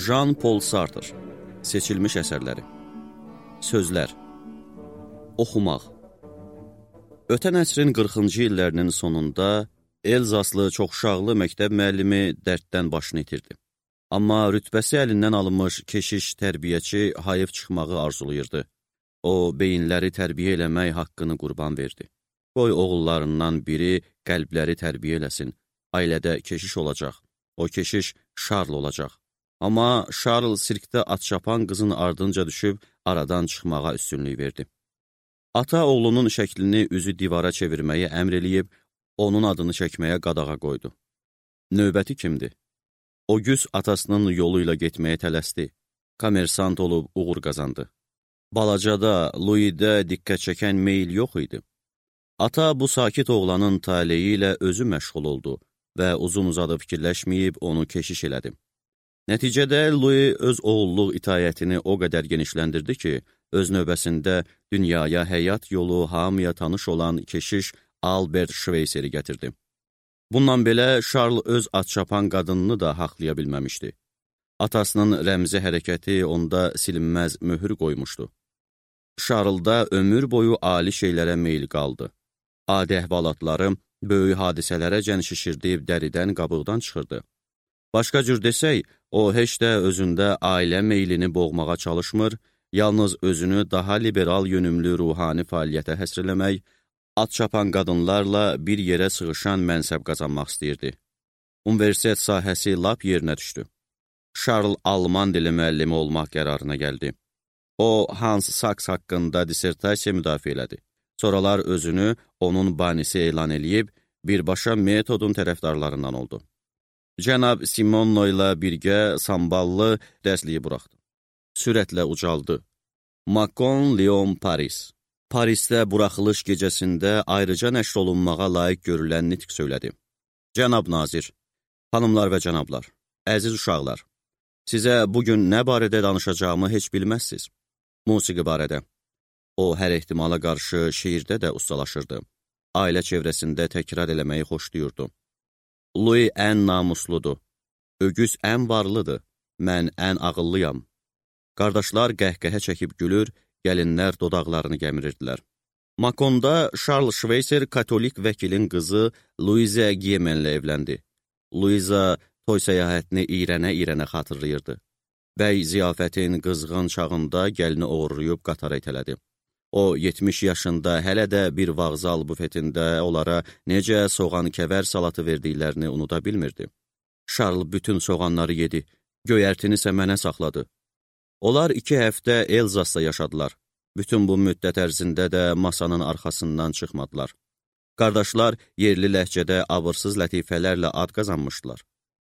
Jean-Paul Sartre. Seçilmiş əsərləri. Sözlər. Oxumaq. Ötən əsrin 40-cı illərinin sonunda Elzaslı çoxuşaqlı məktəb müəllimi dərddən başını itirdi. Amma rütbəsi əlindən alınmış keşiş tərbiyəçi hayıf çıxmağı arzulayırdı. O, beyinləri tərbiyə eləmək haqqını qurban verdi. Qoy oğullarından biri qəlbləri tərbiyə eləsin. Ailədə keşiş olacaq. O keşiş Şarl olacaq. Amma Şarl sirkdə at çapan qızın ardınca düşüb aradan çıxmağa üstünlük verdi. Ata oğlunun şəklini üzü divara çevirməyi əmr eləyib, onun adını çəkməyə qadağa qoydu. Növbəti kimdir? Ogüs atasının yolu ilə getməyə tələsdi. Komersant olub uğur qazandı. Balacada, Louis'də diqqət çəkən meyil yox idi. Ata bu sakit oğlanın taleyi ilə özü məşğul oldu və uzun-uzadı fikirləşməyib onu keşiş elədi. Nəticədə Louis öz oğulluq itayətini o qədər genişləndirdi ki, öz növbəsində dünyaya həyat yolu hamıya tanış olan keşiş Albert Schweitzeri gətirdi. Bundan belə Şarl öz at çapan qadınını da haqlaya bilməmişdi. Atasının rəmzi hərəkəti onda silinməz möhür qoymuşdu. Şarlda ömür boyu ali şeylərə meyil qaldı. Adi əhvalatları böyük hadisələrə cən şişirdib dəridən qabıqdan çıxırdı. Başqa cür desək, o heç də özündə ailə meylini boğmağa çalışmır, yalnız özünü daha liberal yönümlü ruhani fəaliyyətə həsr eləmək, at çapan qadınlarla bir yerə sığışan mənsəb qazanmaq istəyirdi. Universitet sahəsi lap yerinə düşdü. Şarl Alman dili müəllimi olmaq qərarına gəldi. O, Hans Sachs haqqında dissertasiya müdafiə elədi. Sonralar özünü onun banisi elan eləyib, birbaşa metodun tərəfdarlarından oldu. Cənab Simonno ilə birgə samballı dərsliyi buraxdı. Sürətlə ucaldı. Macon, Lyon, Paris. Parisdə buraxılış gecəsində ayrıca nəşr olunmağa layiq görülən nitq söylədi. Cənab Nazir, xanımlar və cənablar, əziz uşaqlar, sizə bugün nə barədə danışacağımı heç bilməzsiniz. Musiqi barədə. O, hər ehtimala qarşı şeirdə də ustalaşırdı. Ailə çevrəsində təkrar eləməyi xoşlayırdı. Louis ən namusludur. Ögüz ən varlıdır. Mən ən ağıllıyam. Qardaşlar qəhqəhə çəkib gülür, gəlinlər dodaqlarını gəmirirdilər. Maconda Charles Schweitzer katolik vəkilin qızı Louise Giemenlə evləndi. Louisa toy səyahətini iyrənə-iyrənə xatırlayırdı. Bəy ziyafətin qızğın çağında gəlini oğurlayıb qatara itələdi. O, 70 yaşında hələ də bir vağzal bufetində onlara necə soğan-kəvər salatı verdiklərini unuda bilmirdi. Şarl bütün soğanları yedi, göyərtini isə mənə saxladı. Onlar 2 həftə Elzasda yaşadılar. Bütün bu müddət ərzində də masanın arxasından çıxmadılar. Qardaşlar yerli ləhcədə abırsız lətifələrlə ad qazanmışdılar.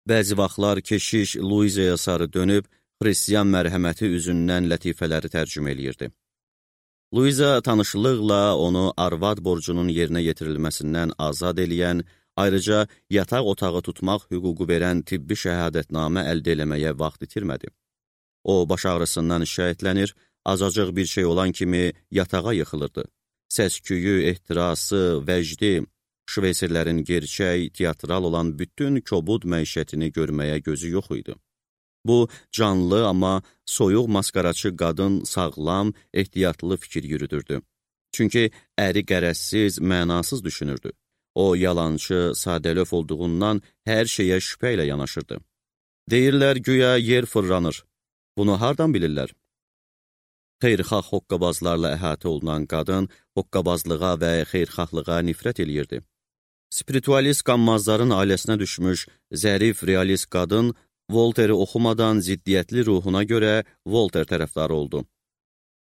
Bəzi vaxtlar keşiş Louisa'ya sarı dönüb, xristiyan mərhəməti üzündən lətifələri tərcümə eləyirdi. Louisa tanışlıqla onu arvad borcunun yerinə yetirilməsindən azad eləyən, ayrıca yataq otağı tutmaq hüququ verən tibbi şəhadətnamə əldə eləməyə vaxt itirmədi. O, baş ağrısından şikayətlənir, azacıq bir şey olan kimi yatağa yıxılırdı. Səsküyü, ehtirası, vəcdi, Şveyserlərin gerçək, teatral olan bütün kobud məişətini görməyə gözü yox idi. Bu, canlı, amma soyuq maskaraçı qadın sağlam, ehtiyatlı fikir yürüdürdü. Çünki əri qərəzsiz, mənasız düşünürdü. O, yalancı, sadəlöf olduğundan hər şeyə şübhə ilə yanaşırdı. Deyirlər, güya yer fırlanır. Bunu hardan bilirlər? Xeyrxah hoqqabazlarla əhatə olunan qadın hoqqabazlığa və xeyrxahlığa nifrət eləyirdi. Spiritualist qanmazların ailəsinə düşmüş zərif realist qadın Volteri oxumadan ziddiyyətli ruhuna görə Volter tərəfdarı oldu.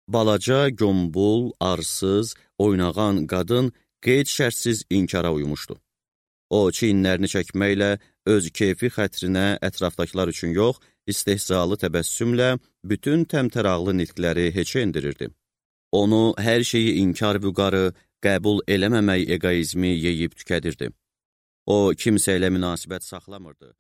Balaca, gömbul, arsız, oynağan qadın qeyd-şərtsiz inkara uymuşdu. O, çiyinlərini çəkməklə öz keyfi xətrinə ətrafdakılar üçün yox, istehzalı təbəssümlə bütün təmtəraqlı nitqləri heçə endirirdi. Onu hər şeyi inkar vüqarı, qəbul eləməmək egoizmi yeyib tükədirdi. O, kimsə ilə münasibət saxlamırdı.